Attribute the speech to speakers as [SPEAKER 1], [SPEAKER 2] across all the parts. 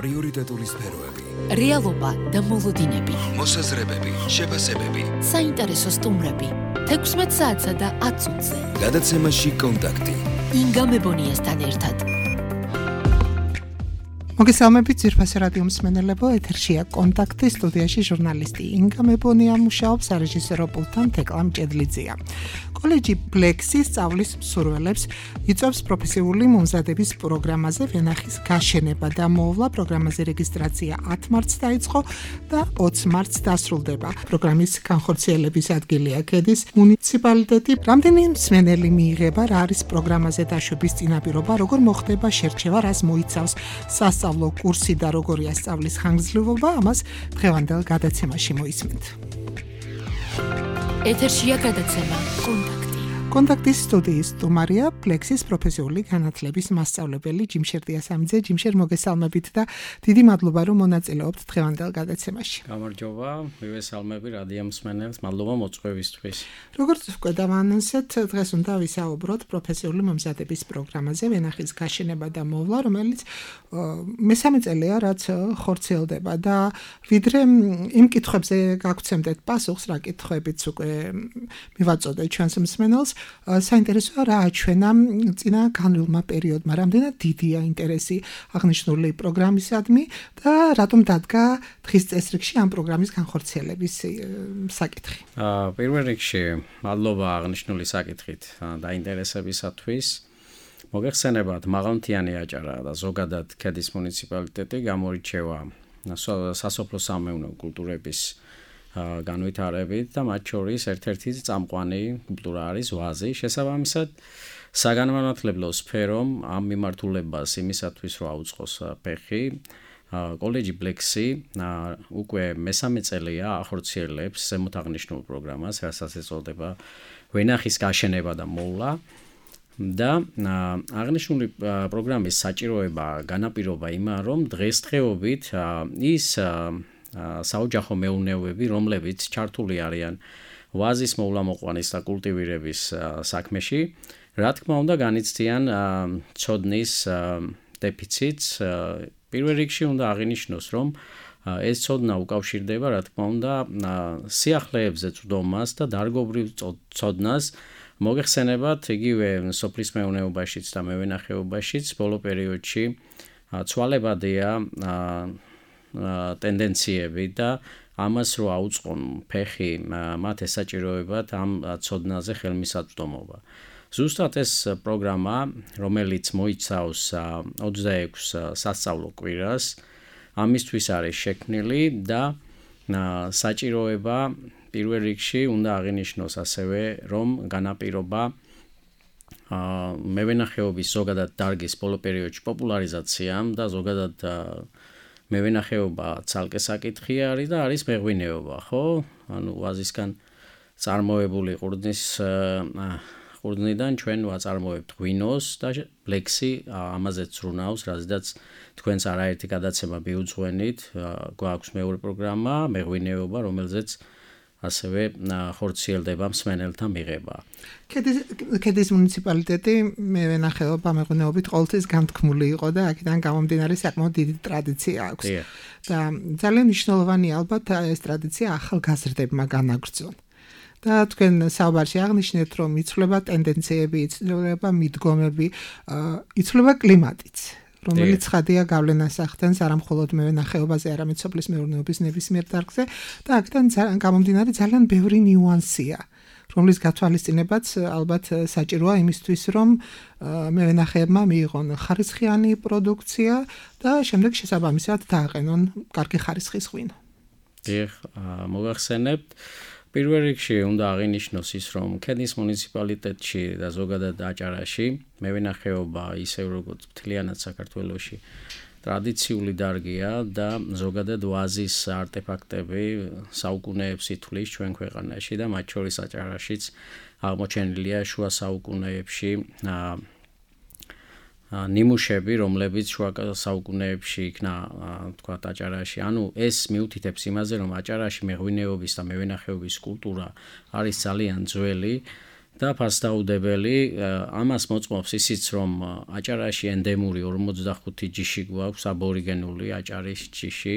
[SPEAKER 1] პრიორიტეტული სფეროები,
[SPEAKER 2] რეალობა და მოლოდინები,
[SPEAKER 1] მოსაზრებები, შეფასებები,
[SPEAKER 2] საინტერესო სტუმრები, 16 საათსა და 10 წუთზე.
[SPEAKER 1] გადაცემაში კონტაქტი.
[SPEAKER 2] ინგა მებონიასთან ერთად.
[SPEAKER 3] მოგესალმებით ძვირფასი რადიო მსმენელებო, ეთერშია კონტაქტი, სტუდიაში ჟურნალისტი ინგა მებონია მუშაობს, სარეჟისორო პულტთან თეკლა მჭედლიძეა. კოლეჯი ბლექსი სწავლის მსურველებს იწვევს პროფესიული მომზადების პროგრამაზე ვენახის გაშენება და მოვლა. პროგრამაზე რეგისტრაცია 10 მარტს დაიწყო და 20 მარტს დასრულდება. პროგრამის განხორციელების ადგილია ქედის მუნიციპალიტეტი. რამდენი მსმენელი მიიღება, რა არის პროგრამაზე დაშვების წინაპირობა, როგორ მოხდება შერჩევა, რას მოიცავს სასწავლო კურსი და როგორია სწავლის ხანგრძლივობა, ამას დღევანდელ გადაცემაში მოისმენთ.
[SPEAKER 2] ეთერშია გადაცემა
[SPEAKER 3] კონტაქტის სტუდიის სტუმარია ბლექსის პროფესიული განათლების მასწავლებელი ჯიმშერ დიასამიძე. ჯიმშერ, მოგესალმებით და დიდი მადლობა, რომ მონაწილეობთ დღევანდელ გადაცემაში.
[SPEAKER 4] გამარჯობა, მივესალმები რადიო მსმენელს, მადლობა მოწვევისთვის.
[SPEAKER 3] როგორც უკვე დავანონსეთ, დღეს უნდა ვისაუბროთ პროფესიული მომზადების პროგრამაზე ვენახის გაშენება და მოვლა, რომელიც მესამე წელია, რაც ხორციელდება და ვიდრე იმ კითხვებზე გაგვცემდეთ პასუხს, რა კითხვებიც უკვე მივაწოდეთ ჩვენს მსმენელს, საინტერესოა რა აჩვენა წინა განვლილმა პერიოდმა, რამდენად დიდია ინტერესი აღნიშნული პროგრამისადმი და რატომ დადგა დღის წესრიგში ამ პროგრამის განხორციელების საკითხი.
[SPEAKER 4] პირველ რიგში მადლობა აღნიშნული საკითხით დაინტერესებისათვის. მოგეხსენებათ, მაღალმთიანი აჭარა და ზოგადად ქედის მუნიციპალიტეტი გამორიჩევა სასოფლო-სამეურნეო კულტურების განვითარებით და მათ შორის ერთ-ერთი წამყვანი კულტურა არის ვაზი. შესაბამისად, საგანმანათლებლო სფერომ ამ მიმართულებას იმისათვის რომ აუწყოს ფეხი, კოლეჯი ბლექსი უკვე მესამე წელია ახორციელებს ზემოთ აღნიშნულ პროგრამას, რასაც ეწოდება ვენახის გაშენება და მოვლა. და აღნიშნული პროგრამის საჭიროება განაპირობა იმან, რომ დღესდღეობით ის საოჯახო მეურნეობები, რომლებიც ჩართული არიან ვაზის მოვლა-მოყვანის და კულტივირების საქმეში, რა თქმა უნდა განიცდიან ცოდნის დეფიციტს. პირველ რიგში უნდა აღინიშნოს, რომ ეს ცოდნა უკავშირდება, რა თქმა უნდა, სიახლეებზე წვდომას და დარგობრივ ცოდნას. მოგეხსენებათ, იგივე სოფლის მეურნეობაშიც და მევენახეობაშიც ბოლო პერიოდში ცვალებადია ტენდენციები და ამას რო აუწყონ ფეხი მათ ესაჭიროებათ ამ ცოდნაზე ხელმისაწვდომობა. ზუსტად ეს პროგრამა, რომელიც მოიცავს 26 სასწავლო კვირას, ამისთვის არის შექმნილი და საჭიროება პირველ რიგში უნდა აღინიშნოს ასევე, რომ განაპირობა მევენახეობის ზოგადად დარგის ბოლო პერიოდში პოპულარიზაციამ და ზოგადად მევენახეობა ცალკე საკითხი არის და არის მეღვინეობა, ხო? ანუ ვაზისგან წარმოებული ყურძნიდან ჩვენ ვაწარმოებთ ღვინოს და ბლექსი ამაზეც ზრუნავს, რადგან თქვენს არაერთი გადაცემა მიუძღვენით, გვაქვს მეორე პროგრამა, მეღვინეობა, რომელზეც ასევე ხორციელდება მსმენელთა მიღება.
[SPEAKER 3] ქედის მუნიციპალიტეტი მევენახეობა მეღვინეობით ყოველთვის განთქმული იყო და აქედან გამომდინარე საკმაოდ დიდი ტრადიცია აქვს. და ძალიან მნიშვნელოვანია ალბათ ეს ტრადიცია ახალგაზრდებმა განაგრძონ. და თქვენ საუბარში აღნიშნეთ, რომ იცვლება ტენდენციები, იცვლება მიდგომები, იცვლება კლიმატიც, რომელიც ხადია გავლენას ახდენს არა მხოლოდ მევენახეობაზე, არამედ სოფლის მეურნეობის ნებისმიერ დარგზე და აქედან გამომდინარე ძალიან ბევრი ნიუანსია, რომლის გათვალისწინებაც ალბათ საჭიროა იმისთვის, რომ მევენახეებმა მიიღონ ხარისხიანი პროდუქცია და შემდეგ შესაბამისად დააყენონ კარგი ხარისხის ღვინო.
[SPEAKER 4] მოგახსენებთ, პირველ რიგში უნდა აღინიშნოს ის, რომ ქედის მუნიციპალიტეტში და ზოგადად აჭარაში მევენახეობა ისევ როგორც მთლიანად საქართველოში ტრადიციული დარგია და ზოგადად ვაზის არტეფაქტები საუკუნეებს ითვლის ჩვენ ქვეყანაში და მათ შორის აჭარაშიც აღმოჩენილია შუა საუკუნეებში ნიმუშები, რომლებიც შუა საუკუნეებში იქნა, თქვათ, აჭარაში. ანუ ეს მიუთითებს იმაზე, რომ აჭარაში მეღვინეობის და მევენახეობის კულტურა არის ძალიან ძველი და ფასდაუდებელი ამას მოწმობს ისიც რომ აჭარაში ენდემური 45 ჯიში გვაქვს აბორიგენული აჭარის ჯიში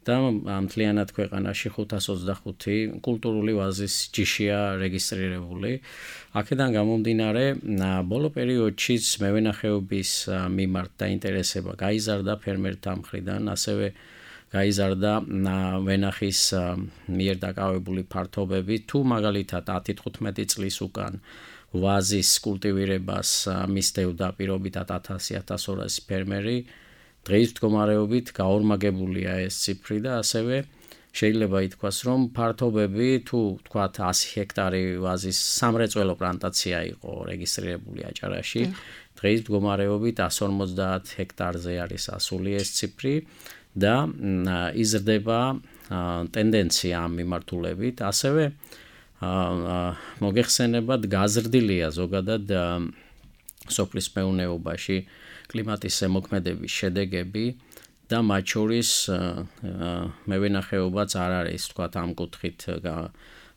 [SPEAKER 4] და მთლიანად ქვეყანაში 525 კულტურული ვაზის ჯიშია რეგისტრირებული. აქედან გამომდინარე, ბოლო პერიოდშიც მევენახეობის მიმართ დაინტერესება გაიზარდა ფერმერთა მხრიდან, ასევე გაიზარდა ვენახის მიერ დაკავებული ფართობები, თუ მაგალითად 10-15 წლის უკან ვაზის კულტივირებას მისდევდა პირობითად 1000-1200 ფერმერი, დღეს მდგომარეობით გაორმაგებულია ეს ციფრი და ასევე შეიძლება ითქვას, რომ ფართობები თუ თქვათ 100 ჰექტარი ვაზის სამრეწველო პლანტაცია იყო რეგისტრირებული აჭარაში, დღეს მდგომარეობით 150 ჰექტარზე არის ასული ეს ციფრი და იზრდება ტენდენცია ამ მიმართულებით, ასევე მოგეხსენებათ გაზრდილია ზოგადად სოფლის მეურნეობაში კლიმატის ზემოქმედების შედეგები და მათ შორის მევენახეობაც არ არის თქვათ ამ კუთხით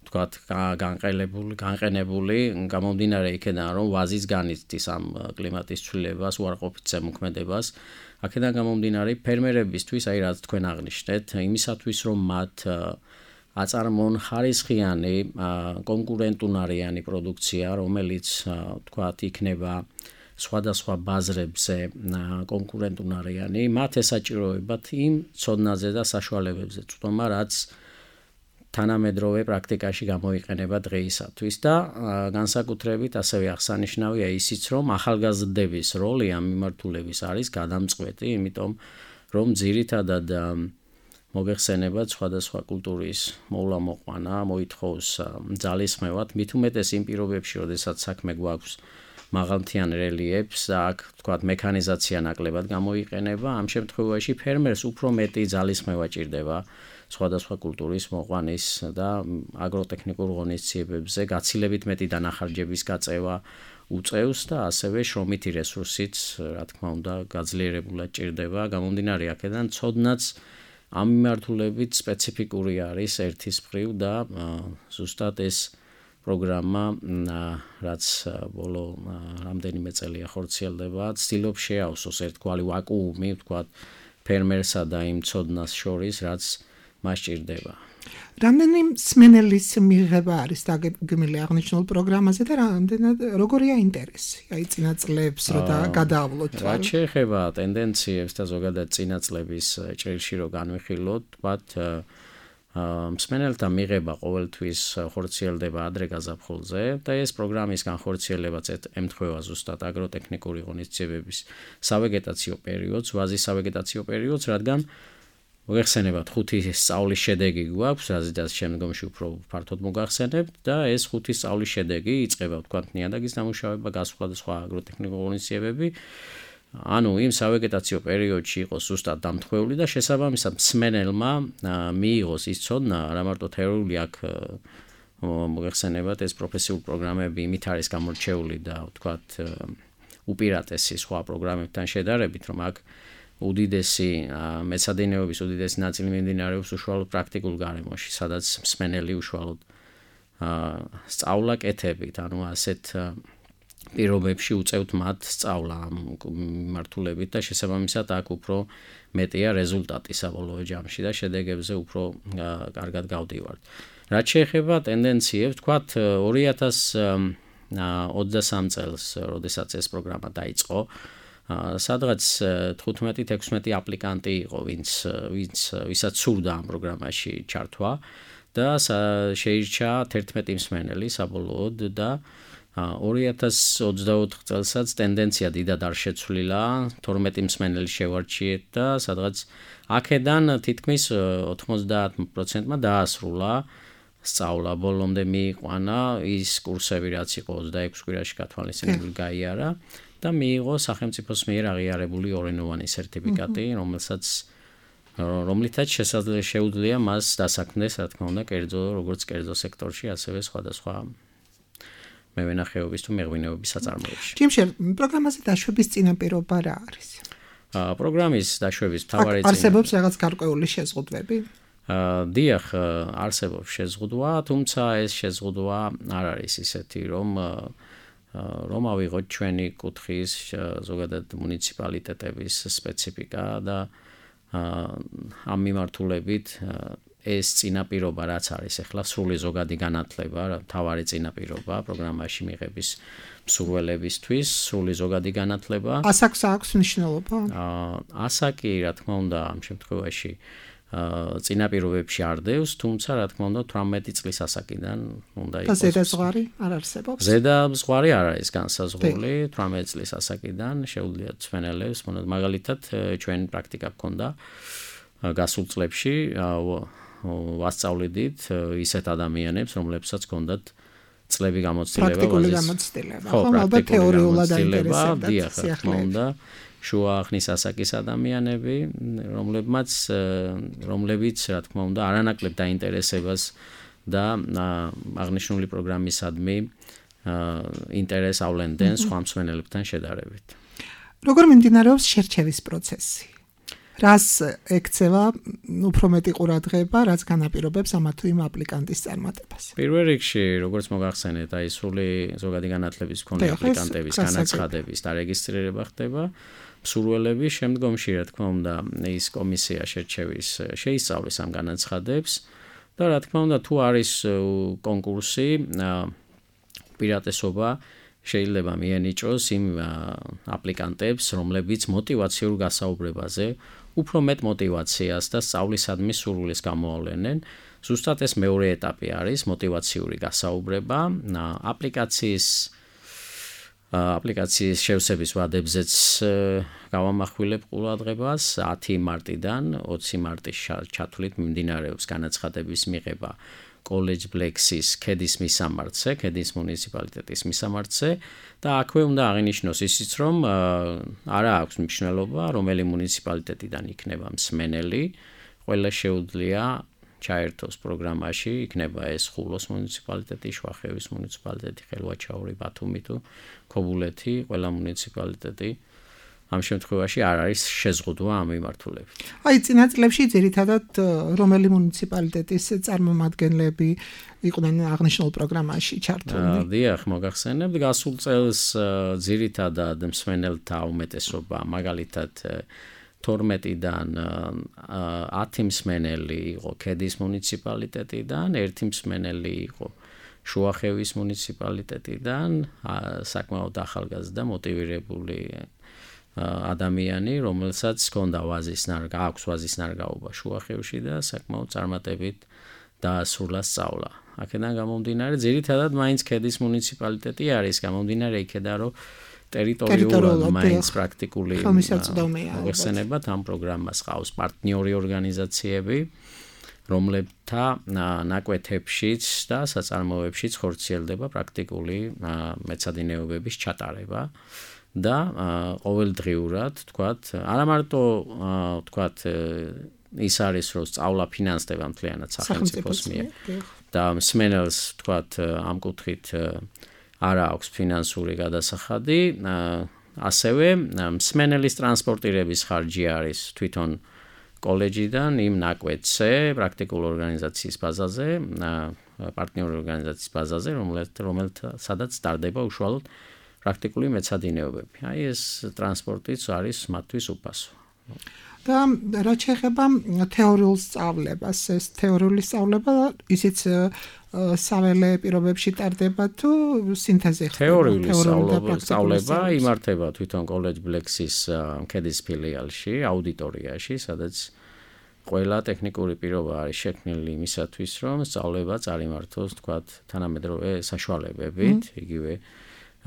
[SPEAKER 4] თქვათ განყენებული გამომდინარე იქედან რომ ვაზის განიცდის ამ კლიმატის ცვლილებას უარყოფით ზემოქმედებას აქედან გამომდინარე ფერმერებისთვის აი რაც თქვენ აღნიშნეთ იმისათვის რომ მათ აწარმოონ ხარისხიანი კონკურენტუნარიანი პროდუქცია რომელიც თქვათ იქნება სხვადასხვა ბაზრებზე კონკურენტუნარიანი მათ ესაჭიროებათ იმ ცოდნაზე და საშუალებებზე წვდომა რაც თანამედროვე პრაქტიკაში გამოიყენება დღეისათვის და განსაკუთრებით ასევე აღსანიშნავია ისიც რომ ახალგაზრდების როლი ამ მიმართულების არის გადამწყვეტი იმიტომ რომ ძირითადად მოგეხსენებათ სხვადასხვა კულტურის მოვლა-მოყვანა მოითხოვს ძალისხმევად მით უმეტეს იმ პირობებში როდესაც საქმე გვაქვს მაღალმთიან რელიეფს აქ თქვათ მექანიზაცია ნაკლებად გამოიყენება ამ შემთხვევაში ფერმერს უფრო მეტი ძალისხმევა ჭირდება სხვადასხვა კულტურის მოყვანის და აგროტექნიკურ ღონისძიებებზე გაცილებით მეტი დანახარჯების გაწევა უწევს და ასევე შრომითი რესურსიც რა თქმა უნდა გაძლიერებულად ჭირდება გამომდინარე აქედან ცოდნაც ამ მიმართულებით სპეციფიკური არის ერთის მხრივ და ზუსტად ეს პროგრამა რაც ბოლო რამდენიმე წელია ხორციელდება ცდილობს შეავსოს ერთგვარი ვაკუუმი ვთქვათ ფერმერსა და იმ ცოდნას შორის რაც მას ჭირდება
[SPEAKER 3] რამდენი მსმენელის მიღება არის დაგეგმილი აღნიშნულ პროგრამაზე და რამდენად როგორია ინტერესი აი წინა წლებს რო გადაავლოთ
[SPEAKER 4] რაც შეეხება ტენდენციებს და ზოგადად წინა წლების ჭრილში რო განვიხილოთ ვთქვათ მსმენელთა მიღება ყოველთვის ხორციელდება ადრე გაზაფხულზე და ეს პროგრამის განხორციელებაც ემთხვევა ზუსტად აგროტექნიკური ღონისძიებების სავეგეტაციო პერიოდს, ვაზის სავეგეტაციო პერიოდს, რადგან მოგეხსენებათ 5 სწავლის შედეგი გვაქვს, რაზეც შემდგომში უფრო ფართოდ მოგახსენებთ და ეს 5 სწავლის შედეგი იწყება ვთქვათ ნიადაგის დამუშავება, გასვლა და სხვა აგროტექნიკური ღონისძიებები ანუ იმ სავეგეტაციო პერიოდში იყოს ზუსტად დამთხვეული და შესაბამისად მსმენელმა მიიღოს ის ცოდნა რა მარტო თეორიული აქ მოგეხსენებათ ეს პროფესიული პროგრამები იმით არის გამორჩეული და ვთქვათ უპირატესი სხვა პროგრამებთან შედარებით რომ აქ უდიდესი მეცადინეობის უდიდესი ნაწილი მიმდინარეობს უშუალოდ პრაქტიკულ გარემოში სადაც მსმენელი უშუალოდ სწავლა კეთებით ანუ ასეთ პირობებში უწევთ მათ სწავლა ამ მიმართულებით და შესაბამისად აქ უფრო მეტია რეზულტატი საბოლოო ჯამში და შედეგებზე უფრო კარგად გავდივართ. რაც შეეხება ტენდენციებს, ვთქვათ 2023 წელს, როდესაც ეს პროგრამა დაიწყო, სადღაც 15-16 აპლიკანტი იყო, ვისაც სურდა ამ პროგრამაში ჩართვა და შეირჩა 11 მსმენელი საბოლოოდ და 2024 წელსაც ტენდენცია დიდად არ შეცვლილა, 12 მსმენელი შევარჩიეთ და სადღაც აქედან თითქმის 90%-მა დაასრულა სწავლა, ბოლომდე მიიყვანა ის კურსები, რაც იყო 26 კვირაში გათვალისწინებული გაიარა და მიიღო სახელმწიფოს მიერ აღიარებული ორენოვანი სერტიფიკატი, რომლითაც შეუძლია მას დასაქმდეს, რა თქმა უნდა, როგორც კერძო სექტორში, ასევე სხვადასხვა მევენახეობის თუ მეღვინეობის საწარმოებში.
[SPEAKER 3] ჯიმშერ, პროგრამაზე დაშვების წინაპირობა რა არის?
[SPEAKER 4] პროგრამის დაშვების მთავარი
[SPEAKER 3] არსებობს რაღაც გარკვეული შეზღუდვები?
[SPEAKER 4] დიახ, არსებობს შეზღუდვა, თუმცა ეს შეზღუდვა არ არის ისეთი, რომ ავიღოთ ჩვენი კუთხის ზოგადად მუნიციპალიტეტების სპეციფიკა და ამ მიმართულებით ეს წინაპირობა რაც არის ახლა სრული ზოგადი განათლება, თავარი წინაპირობა პროგრამაში მიღების მსურველებისთვის, სრული ზოგადი განათლება.
[SPEAKER 3] ასაკს აქვს მნიშვნელობა?
[SPEAKER 4] ასაკი, რა თქმა უნდა, ამ შემთხვევაში წინაპირობებში არ დევს, თუმცა რა თქმა უნდა 18 წლის ასაკიდან უნდა იყოს.
[SPEAKER 3] და ზედაზღვარი არ არსებობს?
[SPEAKER 4] ზედაზღვარი არ არის განსაზღვრული, 18 წლის ასაკიდან შეუძლიათ მსმენელებს, მაგალითად ჩვენ პრაქტიკა გქონდა გასულ წლებში ვასწავლიდით ისეთ ადამიანებს, რომლებსაც ჰქონდათ წლები გამოცდილება,
[SPEAKER 3] პრაქტიკული გამოცდილება, ხო, ალბათ თეორიულად აინტერესებდათ.
[SPEAKER 4] დიახ, რა თქმა უნდა, შუა ახნის ასაკის ადამიანები, რომლებიც, რა თქმა უნდა, არანაკლებ დაინტერესებას და აღნიშნული პროგრამისადმი ინტერესს ავლენდნენ სხვა მსმენელებთან შედარებით.
[SPEAKER 3] როგორ მიმდინარეობს შერჩევის პროცესი? რას ექცევა უფრო მეტი ყურადღება, რაც განაპირობებს ამა თუ იმ აპლიკანტის წარმატებას?
[SPEAKER 4] პირველ რიგში, როგორც მოგახსენეთ, აი სრული ზოგადი განათლების მქონე აპლიკანტების განაცხადების დარეგისტრირება ხდება. მსურველები შემდგომში, რა თქმა უნდა, ის კომისია შერჩევის შეისწავლის ამ განაცხადებს და რა თქმა უნდა, თუ არის კონკურსი, უპირატესობა შეიძლება მიენიჭოს იმ აპლიკანტებს, რომლებიც მოტივაციურ გასაუბრებაზე უფრო მეტ მოტივაციას და სწავლისადმი სურვილის გამოავლენენ. ზუსტად ეს მეორე ეტაპი არის მოტივაციური გასაუბრება. აპლიკაციის შევსების ვადებზეც გავამახვილებ ყურადღებას 10 მარტიდან 20 მარტის ჩათვლით მიმდინარეობს განაცხადების მიღება კოლეჯ ბლექსის ქედის მისამართზე, ქედის მუნიციპალიტეტის მისამართზე და აქვე უნდა აღინიშნოს ისიც, რომ არა აქვს მნიშვნელობა, რომელი მუნიციპალიტეტიდან იქნება მსმენელი, ყველა შეუძლია ჩაერთოს პროგრამაში, იქნება ეს ხულოს მუნიციპალიტეტი, შუახევის მუნიციპალიტეტი, ხელვაჩაური, ბათუმი თუ ქობულეთი, ყველა მუნიციპალიტეტი. ამ შემთხვევაში არ არის შეზღუდვა ამ მიმართულებით.
[SPEAKER 3] აი წინა წლებში ძირითადად რომელი მუნიციპალიტეტის წარმომადგენლები იყვნენ აღნიშნულ პროგრამაში ჩართულნი?
[SPEAKER 4] დიახ, მოგახსენებთ, გასულ წელს ძირითადად მსმენელთა უმეტესობა, მაგალითად 12-დან 10 მსმენელი იყო ქედის მუნიციპალიტეტიდან, 1 მსმენელი იყო შუახევის მუნიციპალიტეტიდან, საკმაოდ ახალგაზრდა მოტივირებული ადამიანი, რომელსაც ჰქონდა აქვს ვაზის ნარგაობა შუახევში და საკმაოდ წარმატებით დაასრულა სწავლა. აქედან გამომდინარე, ძირითადად მაინც ქედის მუნიციპალიტეტი არის, გამომდინარე იქედან, რომ ტერიტორიულად მაინც პრაქტიკული მოხსენებათ ამ პროგრამას ყავს პარტნიორი ორგანიზაციები, რომლებთა ნაკვეთებშიც და საწარმოებშიც ხორციელდება პრაქტიკული მეცადინეობების ჩატარება. და ყოველდღიურად, თქვათ, არა მარტო თქვათ ის არის, რომ სწავლა ფინანსდება მთლიანად სახელმწიფოს მიერ და მსმენელს, თქვათ, ამ კუთხით არა აქვს ფინანსური გადასახადი, ასევე მსმენელის ტრანსპორტირების ხარჯი არის თვითონ კოლეჯიდან იმ ნაკვეთზე, პრაქტიკულ ორგანიზაციის ბაზაზე, პარტნიორი ორგანიზაციის ბაზაზე, რომელთაც ტარდება უშუალოდ პრაქტიკული მეცადინეობები. აი ეს ტრანსპორტიც არის მათთვის უფასო.
[SPEAKER 3] და რაც შეეხება თეორიულ სწავლებას, ეს თეორიული სწავლება ისიც საველე პირობებში ტარდება თუ სინთეზი ხდება?
[SPEAKER 4] თეორიული სწავლება იმართება თვითონ კოლეჯ ბლექსის ქედის ფილიალში, აუდიტორიაში, სადაც ყველა ტექნიკური პირობა არის შექმნილი იმისათვის, რომ სწავლება წარიმართოს, თქვათ, თანამედროვე საშუალებებით, იგივე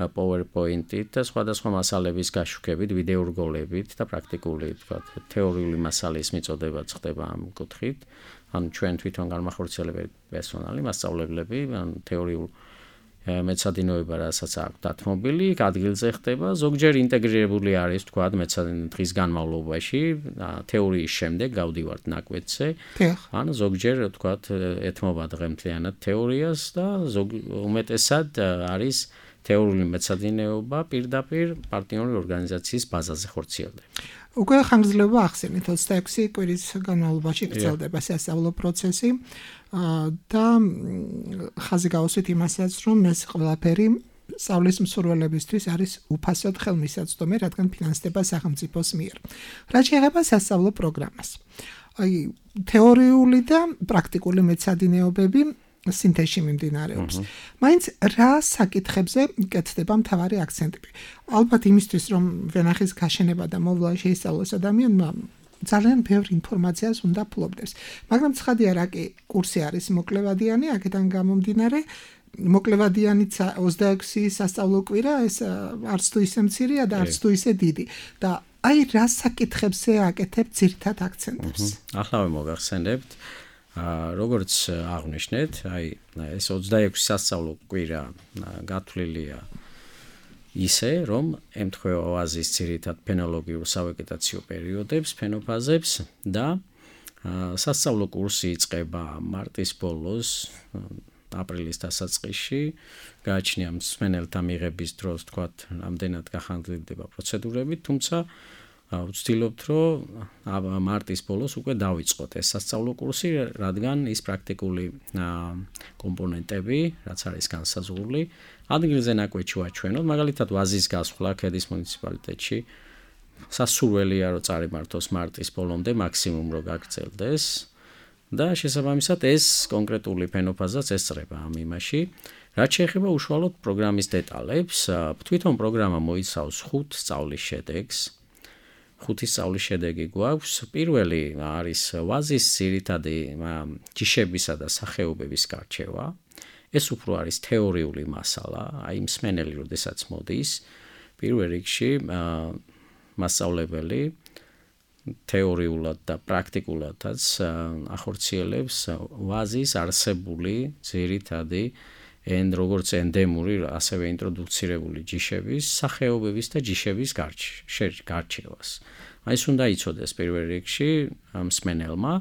[SPEAKER 4] PowerPoint-ით და სხვადასხვა მასალების გაშუქებით, ვიდეორგოლებით და პრაქტიკული, თქვათ, თეორიული მასალის მიწოდებაც ხდება ამ კუთხით. ან ჩვენ თვითონ განმახორციელებელი პერსონალი, მასწავლებლები, ან თეორიულ მეცადინეობა, რასაც აქვს დათმობილი, ადგილზე ხდება, ზოგჯერ ინტეგრირებული არის, თქვათ, დღის განმავლობაში, თეორიის შემდეგ გავდივართ ნაკვეთზე, ან ზოგჯერ, თქვათ, ეთმობა დღემთლიანად თეორიას და უმეტესად არის თეორიული მეცადინეობა პირდაპირ პარტნიორი ორგანიზაციის ბაზაზე ხორციელდება.
[SPEAKER 3] უკვე ხანგრძლივობა ახსენეთ 26 კვირის განმავლობაში გრძელდება სასწავლო პროცესი და ხაზი გავუსვით იმასაც, რომ ეს ყველაფერი სწავლის მსურველებისთვის არის უფასოდ ხელმისაწვდომი, რადგან ფინანსდება სახელმწიფოს მიერ. რაც შეეხება სასწავლო პროგრამას. აი თეორიული და პრაქტიკული მეცადინეობები სინთეზში მიმდინარეობს. მაინც რა საკითხებზე კეთდება მთავარი აქცენტები? ალბათ იმისთვის, რომ ვენახის გაშენება და მოვლა შეისწავლოს ადამიანმა, ძალიან ბევრ ინფორმაციას უნდა ფლობდეს. მაგრამ ცხადია, რა კი კურსი არის მოკლევადიანი, აქედან გამომდინარე, მოკლევადიანიც 26 სასწავლო კვირა, ეს არც თუ ისე მცირეა და არც თუ ისე დიდი. და აი რა საკითხებზე აკეთებთ ძირითად აქცენტებს?
[SPEAKER 4] ახლა მოგახსენებთ როგორც აღნიშნეთ, აი ეს 26 სასწავლო კვირა გათვლილია ისე, რომ ემთხვევა ვაზის ძირითად ფენოლოგიურ სავეგეტაციო პერიოდებს, ფენოფაზებს და სასწავლო კურსი იწყება მარტის ბოლოს, აპრილის დასაწყისში, გააჩნია მსმენელთა მიღების დროს, თქვათ, რამდენად გახანგრძლივდება პროცედურები, თუმცა ვცდილობთ, რომ მარტის ბოლოს უკვე დავიწყოთ ეს სასწავლო კურსი, რადგან ის პრაქტიკული კომპონენტები, რაც არის განსაზღვრული, ადგილზე ნაკვეთში ვაჩვენოთ, მაგალითად ვაზის გასვლა ქედის მუნიციპალიტეტში სასურველია, რომ წარიმართოს მარტის ბოლომდე, მაქსიმუმ რომ გაგრძელდეს და შესაბამისად ეს კონკრეტული ფენოფაზაც ესწრება ამ იმაში. რაც შეეხება უშუალოდ პროგრამის დეტალებს, თვითონ პროგრამა მოიცავს 5 სწავლის შედეგს. 5 სწავლის შედეგი გვაქვს. პირველი არის ვაზის ძირითადი ჯიშებისა და სახეობების გარჩევა. ეს უფრო არის თეორიული მასალა, აი მსმენელი, როდესაც მოდის, პირველ რიგში მასწავლებელი თეორიულად და პრაქტიკულადაც ახორციელებს ვაზის არსებული ძირითადი როგორც ენდემური, ასევე ინტროდუცირებული ჯიშების, სახეობების და ჯიშების გარჩევას. ეს უნდა იცოდეს პირველ რიგში მსმენელმა.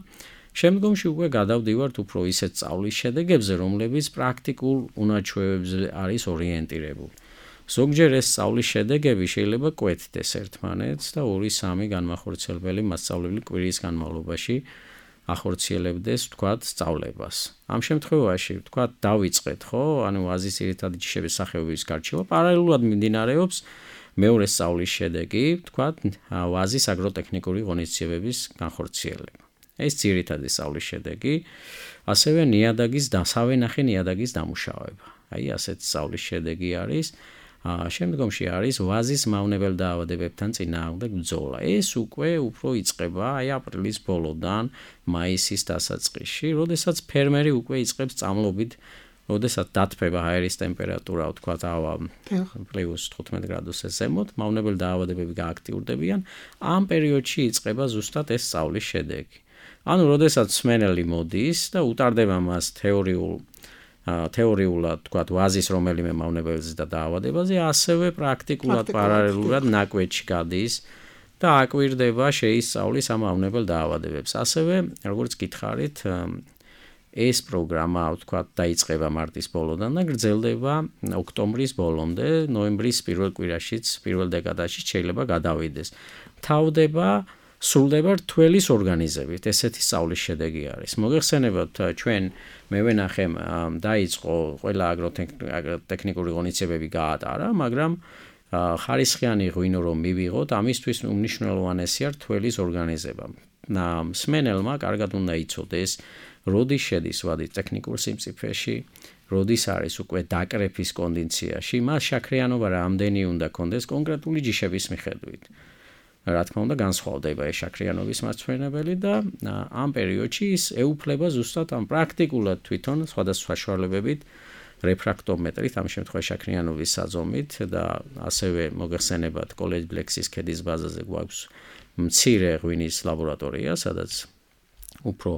[SPEAKER 4] შემდგომში უკვე გადავდივართ უფრო ისეთ სწავლის შედეგებზე, რომლებიც პრაქტიკულ უნაჩვევებზე არის ორიენტირებული. ზოგჯერ ეს სწავლის შედეგები შეიძლება კვეთდეს ერთმანეთს და 2-3 განმახორციელებელი მასწავლებელი კვირის განმავლობაში ახორციელებდეს, თქვათ, სწავლებას. ამ შემთხვევაში, თქვათ, დავიწყეთ, ხო? ანუ ვაზის ძირითადი ჯიშების სახეობების გარჩევა პარალელურად მიმდინარეობს მეორე სწავლის შედეგი, თქვათ, ვაზის აგროტექნიკური ღონისძიებების განხორციელება. ეს ძირითადი სწავლის შედეგი, ასევე სავენახე ნიადაგის დამუშავება. აი, ასეთ სწავლის შედეგი არის. შემდგომში არის ვაზის მავნებელ დაავადებებთან წინააღმდეგ ბრძოლა. ეს უკვე უფრო იწყება აი აპრილის ბოლოდან მაისის დასაწყისში, როდესაც ფერმერი უკვე იწყებს წამლობით, როდესაც დათბება აერის ტემპერატურა, ვთქვათ, +15 გრადუსზე ზემოთ, მავნებელ დაავადებები გააქტიურდებიან. ამ პერიოდში იწყება ზუსტად ეს სწავლის შედეგი. ანუ, როდესაც მსმენელი მოდის და უტარდება მას თეორიულად, თქვათ, ვაზის რომელიმე მავნებელზე და დაავადებაზე, ასევე პრაქტიკულად პარალელურად ნაკვეთში გადის და აკვირდება, შეისწავლის ამ მავნებელ დაავადებებს. ასევე, როგორც გითხარით, ეს პროგრამა, თქვათ, დაიწყება მარტის ბოლოდან და გრძელდება ოქტომბრის ბოლომდე, ნოემბრის პირველ კვირაშიც, პირველ დეკადაში შეიძლება გადავიდეს. სრულდება რთველის ორგანიზებით, ესეთი სწავლის შედეგი არის. მოგეხსენებათ, ჩვენ მე ვენახემ დაიწყო ყველა აგროტექნიკური ღონისძიებები გაატარა, მაგრამ ხარისხიანი ღვინო რომ მივიღოთ, ამისთვის უმნიშვნელოვანესია რთველის ორგანიზება. მსმენელმა კარგად უნდა იცოდეს, როდის შედის ვადი ტექნიკურ სიმწიფეში, როდის არის უკვე დაკრეფის კონდიციაში, მას შაქრიანობა რამდენი უნდა კონდეს კონკრეტული ჯიშების მიხედვით. რა თქმა უნდა, განსხვავდება ეს შაქრიანობის მასწავლებელი და ამ პერიოდში ის ეუფლება ზუსტად ამ პრაქტიკულად თვითონ სხვადასხვა საშუალებებით, რეფრაქტომეტრით, ამ შემთხვევაში შაქრიანობის საძომით და ასევე მოგეხსენებათ კოლეჯ ბლექსის ქედის ბაზაზე გვაქვს მცირე ღვინის ლაბორატორია, სადაც უფრო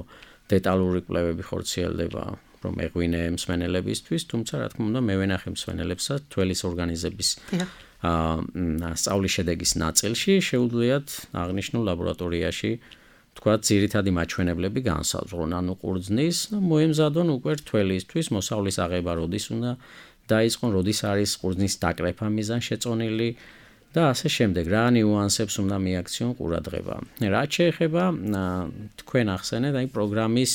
[SPEAKER 4] დეტალური კვლევები ხორციელდება, რომ ეღვინე მსმენელებისთვის, თუმცა რა თქმა უნდა, მე ვენახე მსმენელებსაც თველის ორგანიზების სწავლის შედეგის ნაწილში შეუძლიათ აღნიშნულ ლაბორატორიაში, თქვათ, ძირითადი მაჩვენებლები განსაზღვრონ, ანუ ყურძნის, მოემზადონ უკვე რთველისთვის მოსავლის აღება როდის უნდა დაიწყონ, როდის არის ყურძნის დაკრეფა მიზანშეწონილი და ასე შემდეგ, რა ნიუანსებს უნდა მიაქციონ ყურადღება. რაც შეეხება თქვენ ახსენეთ, აი პროგრამის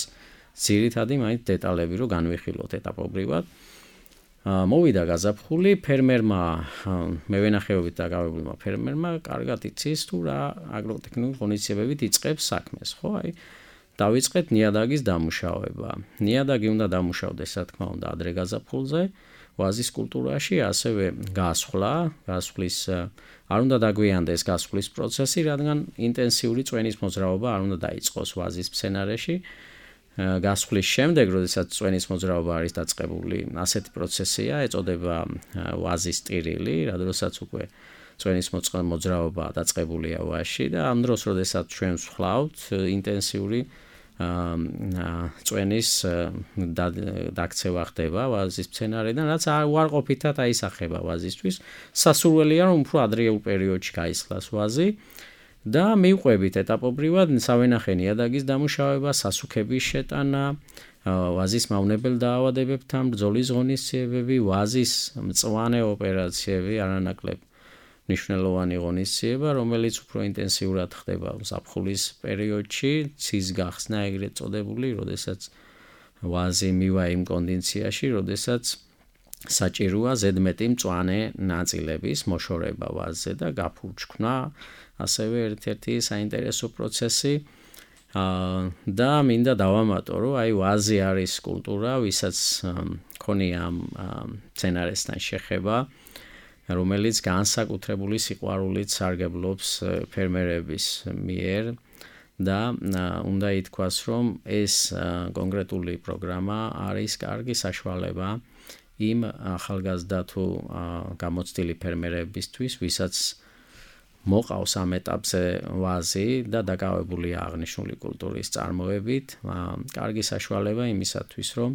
[SPEAKER 4] ძირითადი მაინც დეტალები რო განვიხილოთ ეტაპობრივად. მოვიდა გაზაფხული, ფერმერმა, მევენახეობით დაკავებულმა ფერმერმა კარგად იცის თუ რა აგროტექნიკური ღონისძიებებით იწყებს საქმეს, ხო? აი დავიწყეთ ნიადაგის დამუშავება. ნიადაგი უნდა დამუშავდეს, რა თქმა უნდა, ადრე გაზაფხულზე, ვაზის კულტურაში, ასევე გასვლის არ უნდა დაგვიანდეს გასვლის პროცესი, რადგან ინტენსიური წვენის მოძრაობა არ უნდა დაიწყოს ვაზის მცენარეში. გასვლის შემდეგ, როდესაც წვენის მოძრაობა არის დაწყებული, ასეთი პროცესია, ეწოდება ვაზის ტირილი, რადგანაც უკვე წვენის მოძრაობა დაწყებულია ვაზში და ამ დროს, როდესაც ჩვენ ვსხლავთ ინტენსიური წვენის დაქცევა ხდება ვაზის მცენარედან, რაც უარყოფითად აისახება ვაზისთვის. სასურველია, რომ უფრო ადრეულ პერიოდში გაისხლას ვაზი და მივყვებით ეტაპობრივად სავენახე ნიადაგის დამუშავება, სასუქების შეტანა, ვაზის მავნებელ დაავადებებთან ბრძოლის ღონისძიებები, ვაზის მწვანე ოპერაციები, არანაკლებ მნიშვნელოვანი ღონისძიება, რომელიც უფრო ინტენსიურად ხდება ზაფხულის პერიოდში, ცის გახსნა ეგრეთ წოდებული, როდესაც ვაზი მივა იმ კონდიციაში, როდესაც საჭიროა ზედმეტი მწვანე ნაწილების მოშორება ვაზზე და გაფურჩქნა, ასევე ერთ-ერთი საინტერესო პროცესი და მინდა დავამატო, რომ აი ვაზი არის კულტურა, ვისაც ქონია ამ მცენარესთან შეხება, რომელიც განსაკუთრებული სიყვარულით სარგებლობს ფერმერების მიერ და უნდა ითქვას, რომ ეს კონკრეტული პროგრამა არის კარგი საშუალება იმ ახალგაზრდა თუ გამოცდილი ფერმერებისთვის, ვისაც მოყავს ამ ეტაპზე ვაზი და დაკავებულია აღნიშნული კულტურის წარმოებით, კარგი საშუალება იმისათვის, რომ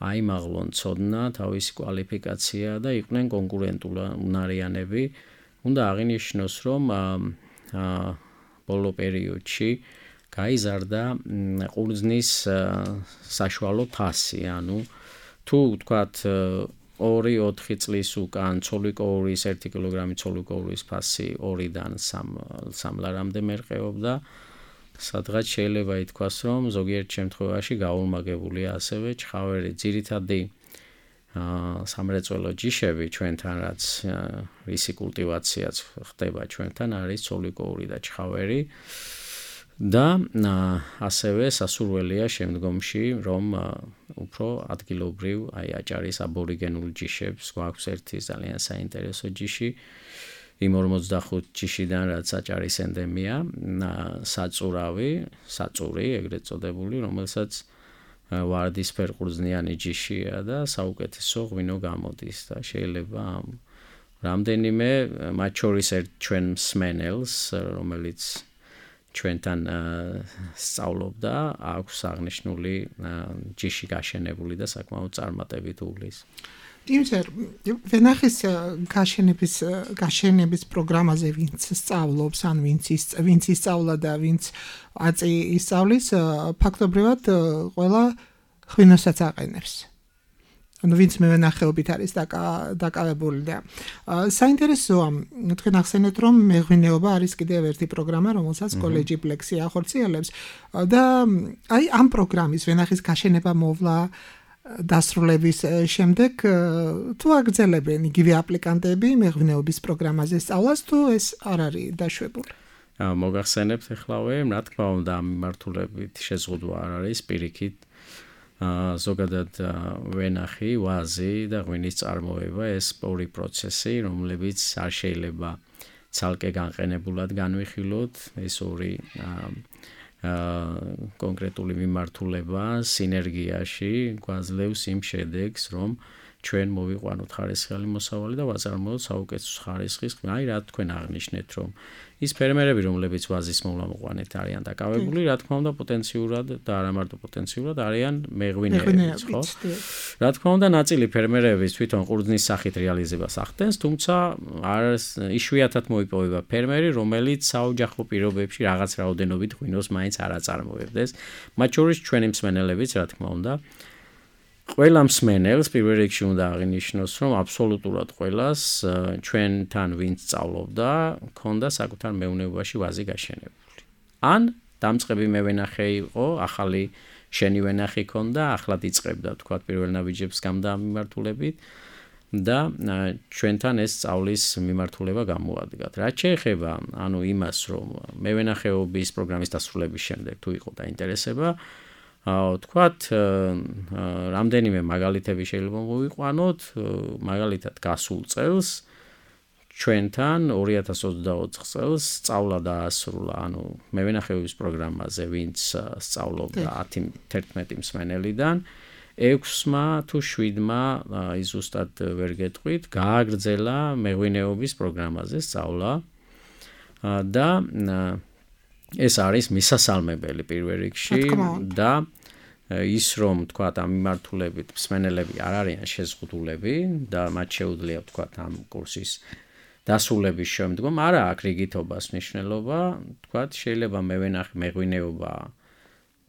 [SPEAKER 4] აიმაღლონ ცოდნა, თავისი კვალიფიკაცია და იყვნენ კონკურენტულნარიანები. უნდა აღინიშნოს, რომ ბოლო პერიოდში გაიზარდა ყურძნის საშუალო ფასი, ანუ თუ ვთქვათ 2-4 წლის უკან ცოლიკოურის 1 კილოგრამი ცოლიკოურის ფასი 2-დან 3 ლარამდე მერყეობდა, სადღაც შეიძლება ითქვას, რომ ზოგიერთ შემთხვევაში გაურმაგებულია ასევე ჩხავერი. ძირითადი სამრეწველო ჯიშები ჩვენთან, რაც რისი კულტივაციაც ხდება ჩვენთან, არის ცოლიკოური და ჩხავერი და ასევე სასურველია შემდგომში, რომ უფრო ადგილობრივ აი აჭარის აბორიგენულ ჯიშებს გვაქვს ერთი ძალიან საინტერესო ჯიში იმ 45 ჯიშიდან, რაც აჭარის ენდემია, საწური, ეგრეთ წოდებული, რომელსაც ვარდისფერ ყურძნიანი ჯიშია და საუკეთესო ღვინო გამოდის და შეიძლება რამდენიმე მათ შორის ჩვენ მსმენელს, რომელიც ჩვენთან სწავლობდა, აქვს აღნიშნული ჯიში გაშენებული და საკმაოდ წარმატებით უვლის.
[SPEAKER 3] იმცერ ვენახის გაშენების პროგრამაზე ვინც სწავლობს, ან ვინც ისწავლა და ვინც აწი ისწავლის, ფაქტობრივად ყველა ღვინოსაც აყენებს. ანუ ვინც მევენახეობით არის დაკავებული და საინტერესოა, თქვენ ახსენეთ, რომ მეღვინეობა არის კიდევ ერთი პროგრამა, რომელსაც კოლეჯი პლექსი ახორციელებს და აი ამ პროგრამის ვენახის გაშენება მოვლა დასრულების შემდეგ თუ აგრძელებენ იგივე აპლიკანტები მეღვინეობის პროგრამაზე სწავლას, თუ ეს არ არის დაშვებული?
[SPEAKER 4] მოგახსენებთ ეხლავე, რა თქმა უნდა, ამ მიმართულებით შეზღუდვა არ არის პირიქით. ზოგადად ვენახი, ვაზი და ღვინის წარმოება ეს ორი პროცესი, რომლებიც არ შეიძლება ცალკე განყენებულად განვიხილოთ, ეს ორი კონკრეტული მიმართულება სინერგიაში გვაძლევს იმ შედეგს, რომ ჩვენ მოვიყვანოთ ხარისხიანი მოსავალი და ვაწარმოოთ საუკეთესო ხარისხის. აი რა თქვენ აღნიშნეთ, რომ ის ფერმერები, რომლებიც ვაზის მოვლამოყვანით არიან დაკავებული, რა თქმა უნდა პოტენციურად და არა მარტო პოტენციურად არიან მეღვინეებიც, ხო? რა თქმა უნდა ნაწილი ფერმერების თვითონ ყურძნის სახით რეალიზებას ახდენს, თუმცა იშვიათად მოიპოვება ფერმერი, რომელიც საოჯახო პირობებში რაღაც რაოდენობით ღვინოს მაინც არ აწარმოებდეს. მათ შორის ჩვენი მსმენელებიც, რა თქმა უნდა, ყველა მსმენელს პირველ რიგში უნდა აღინიშნოს, რომ აბსოლუტურად ყველას ჩვენთან ვინც სწავლობდა, ქონდა საკუთარ მეურნეობაში ვაზი გაშენებული. ან დამწყები მევენახე იყო, ახალი შენი ვენახი ქონდა, ახლად იწყებდა თქვა პირველ ნაბიჯებს გამომართულებით და ჩვენთან ეს სწავლის მიმართულება გამოადგათ. რაც შეეხება იმას, რომ მევენახეობის პროგრამის დასრულების შემდეგ თუ იყო დაინტერესება, თქვათ, რამდენიმე მაგალითები შეიძლება მოვიყვანოთ, მაგალითად გასულ წელს ჩვენთან 2024 წელს სწავლა დაასრულა, მევენახეობის პროგრამაზე, ვინც სწავლობდა 10-11 მსმენელიდან, 6-მა თუ 7-მა ზუსტად ვერ გეტყვით, გააგრძელა მეღვინეობის პროგრამაზე სწავლა და ეს არის მისასალმებელი პირველ რიგში და ის რომ თქვათ ამ მიმართულებით მსმენელები არ არიან შეზღუდულები და მათ შეუძლიათ თქვათ ამ კურსის დასრულების შემდგომ არა აქვს რიგითობას მნიშვნელობა, თქვათ შეიძლება მეღვინეობა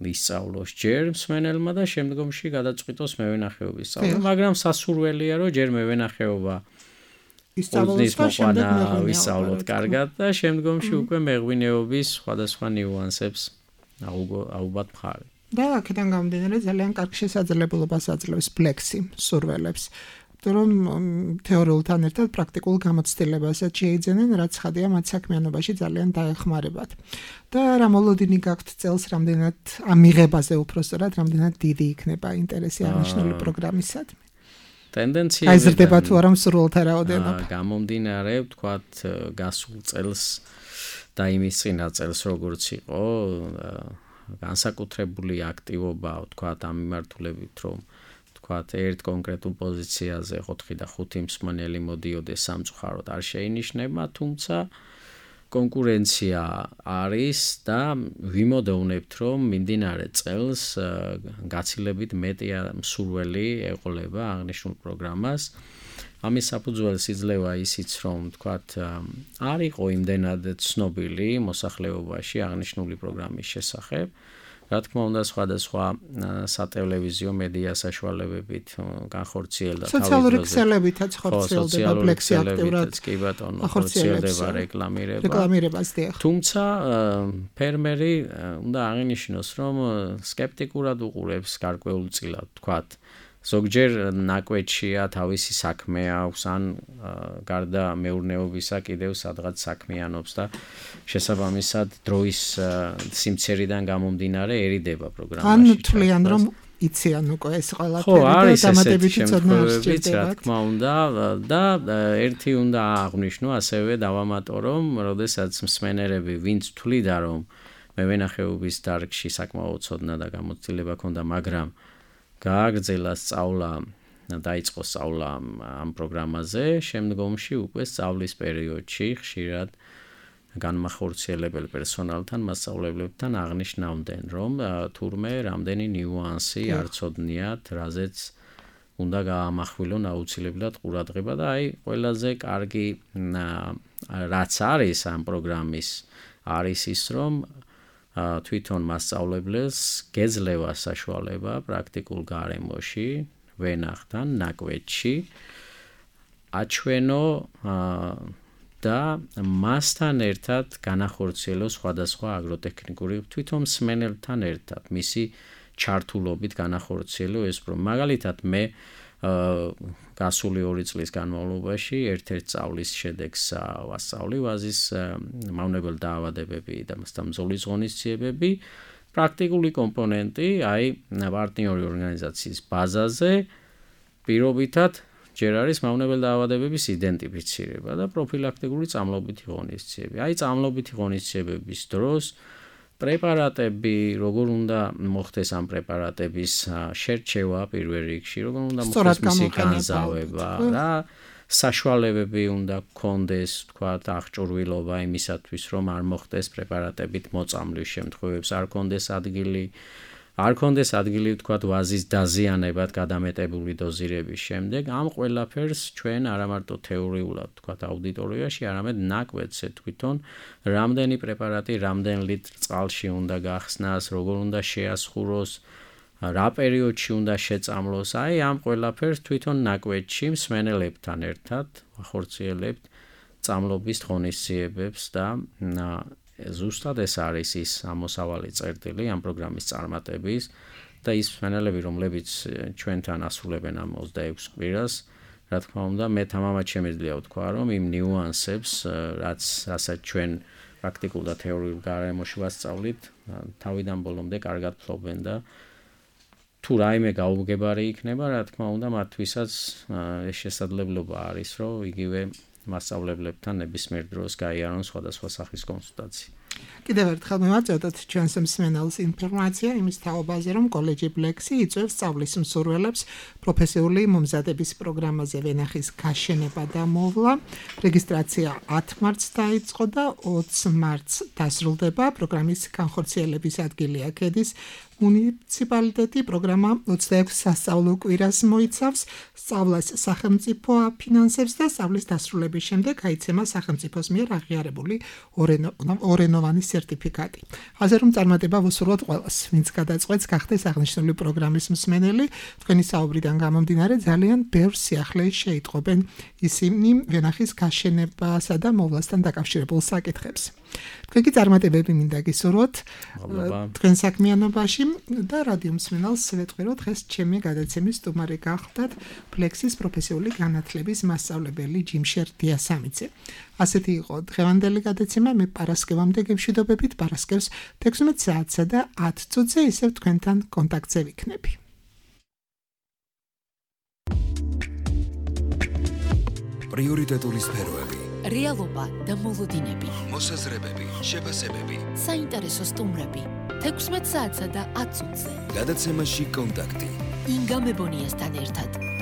[SPEAKER 4] ისწავლოს ჯერ მსმენელმა და შემდგომში გადაწყვიტოს მევენახეობის სწავლა, მაგრამ სასურველია რომ ჯერ მევენახეობა ისწავლოს და შემდეგ ვისწავლოთ კარგად და შემდგომში უკვე მეღვინეობის სხვადასხვა ნიუანსებს აუღოთ მხარი.
[SPEAKER 3] და აქედან გამომდინარე ძალიან კარგ შესაძლებლობას აძლევს ფლექსი სურველებს. რომ თეორიულთან ერთად პრაქტიკულ გამოცდილებასაც შეიძენენ, რაც ხადია მათ საქმიანობაში ძალიან დაეხმარებათ. და რა მოლოდინი გაქვთ წელს რამდენად ამიღებაზე უпростоრად რამდენად დიდი იქნება ინტერესი აღნიშნული პროგრამისადმი.
[SPEAKER 4] ტენდენცია
[SPEAKER 3] გაიზრდება თუ არა მსურველთა რაოდენობა.
[SPEAKER 4] გამომდინარე, ვთქვათ, გასულ წელს და იმის წინა წელს როგორც იყო, განსაკუთრებული აქტივობა, ვთქვათ, ამ მიმართულებით, რომ ვთქვათ, ერთ კონკრეტულ პოზიციაზე 4 და 5 მსმენელი მოდიოდეს სამწუხაროდ არ შეინიშნება, თუმცა კონკურენცია არის და ვიმოდევნებთ, რომ მიმდინარე წელს გაცილებით მეტი მსურველი ეყოლება აღნიშნულ პროგრამას. ამის საფუძველს იძლევა ისიც, რომ ვთქვათ, არ იყო იმდენად ცნობილი მოსახლეობაში აღნიშნული პროგრამის შესახებ. რა თქმა უნდა, სხვადასხვა სატელევიზიო მედია საშუალებებით განხორციელდა
[SPEAKER 3] სოციალური ქსელებითაც ხორციელდება ფლექსი აქტიურად.
[SPEAKER 4] კი ბატონო, ხორციელდება რეკლამირებას. თუმცა ფერმერი უნდა აღინიშნოს, რომ სკეპტიკურად უყურებს გარკვეულწილად, თქვათ, ზოგჯერ ნაკვეთშია თავისი საქმე აქვს, ან გარდა მეურნეობისა კიდევ სადღაც საქმიანობს და შესაბამისად დროის სიმცერიდან გამომდინარე ერიდება პროგრამაში.
[SPEAKER 3] ან თვლიან რომ იციან უკვე ეს ყველაფერი და დამატებითი ცოდნა სჭირდება.
[SPEAKER 4] რა თქმა უნდა და ერთი უნდა აღვნიშნო, ასევე დავამატო, რომ როდესაც მსმენელები ვინც თვლიდა რომ მევენახეობის დარგში საკმაოდ ცოდნა და გამოცდილება ჰქონდა, მაგრამ გააგრძელა სწავლა, დაიწყო სწავლა ამ პროგრამაზე, შემდგომში უკვე სწავლის პერიოდში ხშირად განმახორციელებელ პერსონალთან, მასწავლებლებთან აღნიშნავდნენ, რომ თურმე რამდენი ნიუანსი არ ცოდნიათ, რაზეც უნდა გაამახვილონ აუცილებლად ყურადღება და ყველაზე კარგი რაც არის ამ პროგრამის არის ის, რომ თვითონ მასწავლებლებს გეძლევა საშუალება პრაქტიკულ გარემოში, ვენახთან, ნაკვეთში აჩვენო და მასთან ერთად განახორციელოს სხვადასხვა აგროტექნიკური თვითონ მსმენელთან ერთად მისი ჩართულობით განახორციელო ეს პროგრამა. მაგალითად მე გასული 2 წლის განმავლობაში ერთ-ერთ სწავლის შედეგს ვასწავლი ვაზის მავნებელ დაავადებები და მძღოლის ღონისძიებები, პრაქტიკული კომპონენტი, პარტნიორი ორგანიზაციის ბაზაზე პირობითად ჯერ არის მავნებელ დაავადებების იდენტიფიცირება და პროფილაქტიკური წამლობითი ღონისძიებები. წამლობითი ღონისძიებების დროს პრეპარატები, როგორ უნდა მოხდეს ამ პრეპარატების შერჩევა პირველ რიგში, როგორ უნდა მოხდეს მისი განზავება, რა საშუალებები უნდა გქონდეს, თქვათ, აღჭურვილობა იმისათვის, რომ არ მოხდეს პრეპარატებით მოწამვლის შემთხვევებს, არ ქონდეს ადგილი, თქვათ, ვაზის დაზიანებად გადამეტებული დოზირების შემდეგ. ამ ყველაფერს ჩვენ არა მარტო თეორიულად, თქვათ, აუდიტორიაში, არამედ ნაკვეთზე თვითონ რამდენი პრეპარატი, რამდენ ლიტრ წყალში უნდა გახსნას, როგორ უნდა შეასხუროს რა პერიოდში უნდა შეწამლოს, აი ამ ყველაფერს თვითონ ნაკვეთში მსმენელებთან ერთად ვახორციელებთ წამლობის ღონისძიებებს და ზუსტად ეს არის ის ამოსავალი წერტილი ამ პროგრამის წარმატების და ის მსმენელები, რომლებიც ჩვენთან ასრულებენ ამ 26 კვირას, რა თქმა უნდა, მე თამამად შემიძლია ვთქვა, რომ იმ ნიუანსებს, რასაც ჩვენ პრაქტიკულ და თეორიულ გარემოში ვასწავლით, თავიდან ბოლომდე კარგად ფლობენ და თუ რაიმე გაუგებარი იქნება, რა თქმა უნდა, მათთვისაც ეს შესაძლებლობა არის, რომ იგივე მასწავლებლებთან ნებისმიერ დროს გაიარონ სხვადასხვა სახის კონსულტაცია.
[SPEAKER 3] კიდევ ერთხელ მივაწოდოთ ჩვენს მსმენელს ინფორმაცია იმის თაობაზე, რომ კოლეჯი ბლექსი იწვევს სწავლის მსურველებს პროფესიული მომზადების პროგრამაზე ვენახის გაშენება და მოვლა. რეგისტრაცია 10 მარტს დაიწყო და 20 მარტს დასრულდება. პროგრამის განხორციელების ადგილია ქედის მუნიციპალიტეტი. პროგრამა 26 სასწავლო კვირას მოიცავს. სწავლას სახელმწიფო აფინანსებს და სწავლის დასრულების შემდეგ აიცემა სახელმწიფოს მიერ აღიარებული ორენოვანი სერტიფიკატი. ასე რომ წარმატება ვუსურვოთ ყველას, ვინც გადაწყვეტს გახდეს აღნიშნული პროგრამის მსმენელი. თქვენი საუბრიდან გამომდინარე ძალიან ბევრ სიახლეში შეიტყობენ ისინი ვენახის გაშენებასა და მოვლასთან დაკავშირებულ საკითხებს. თქვენი წარმატებები მინდა გისურვოთ თქვენ საქმიანობაში და რადიო მსმენელს ვეთქვი, რომ დღეს ჩემი გადაცემის სტუმარი გახდათ ბლექსის პროფესიული განათლების მასწავლებელი ჯიმშერ დიასამიძე. ასეთი იყო დღევანდელი გადაცემა. მე პარასკევამდე გემშვიდობებით, პარასკევს 16 საათსა და 10 წუთზე ისევ თქვენთან კონტაქტზე ვიქნები.
[SPEAKER 1] პრიორიტეტული სფეროები,
[SPEAKER 2] რეალობა და მოლოდინები,
[SPEAKER 1] მოსაზრებები, შეფასებები,
[SPEAKER 2] საინტერესო სტუმრები 16 საათსა და 10 წუთზე.
[SPEAKER 1] გადაცემაში კონტაქტი.
[SPEAKER 2] ინგა მებონიასთან ერთად.